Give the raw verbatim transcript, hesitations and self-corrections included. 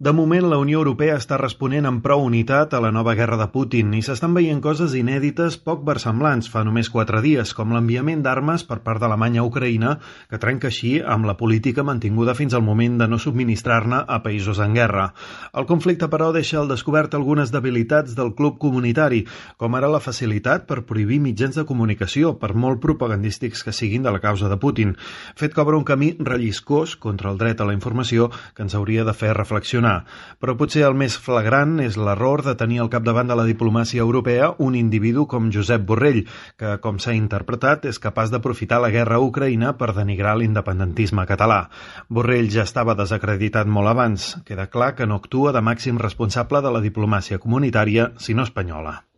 De moment, la Unió Europea està responent amb prou unitat a la nova guerra de Putin i s'estan veient coses inèdites poc versemblants fa només quatre dies, com l'enviament d'armes per part d'Alemanya a Ucraïna, que trenca així amb la política mantinguda fins al moment de no subministrar-ne a països en guerra. El conflicte, però, deixa al descobert algunes debilitats del club comunitari, com ara la facilitat per prohibir mitjans de comunicació, per molt propagandístics que siguin de la causa de Putin, fet que obre un camí relliscós contra el dret a la informació que ens hauria de fer reflexionar. Però potser el més flagrant és l'error de tenir al capdavant de la diplomàcia europea un individu com Josep Borrell, que, com s'ha interpretat, és capaç d'aprofitar la guerra a Ucraïna per denigrar l'independentisme català. Borrell ja estava desacreditat molt abans. Queda clar que no actua de màxim responsable de la diplomàcia comunitària, sinó espanyola.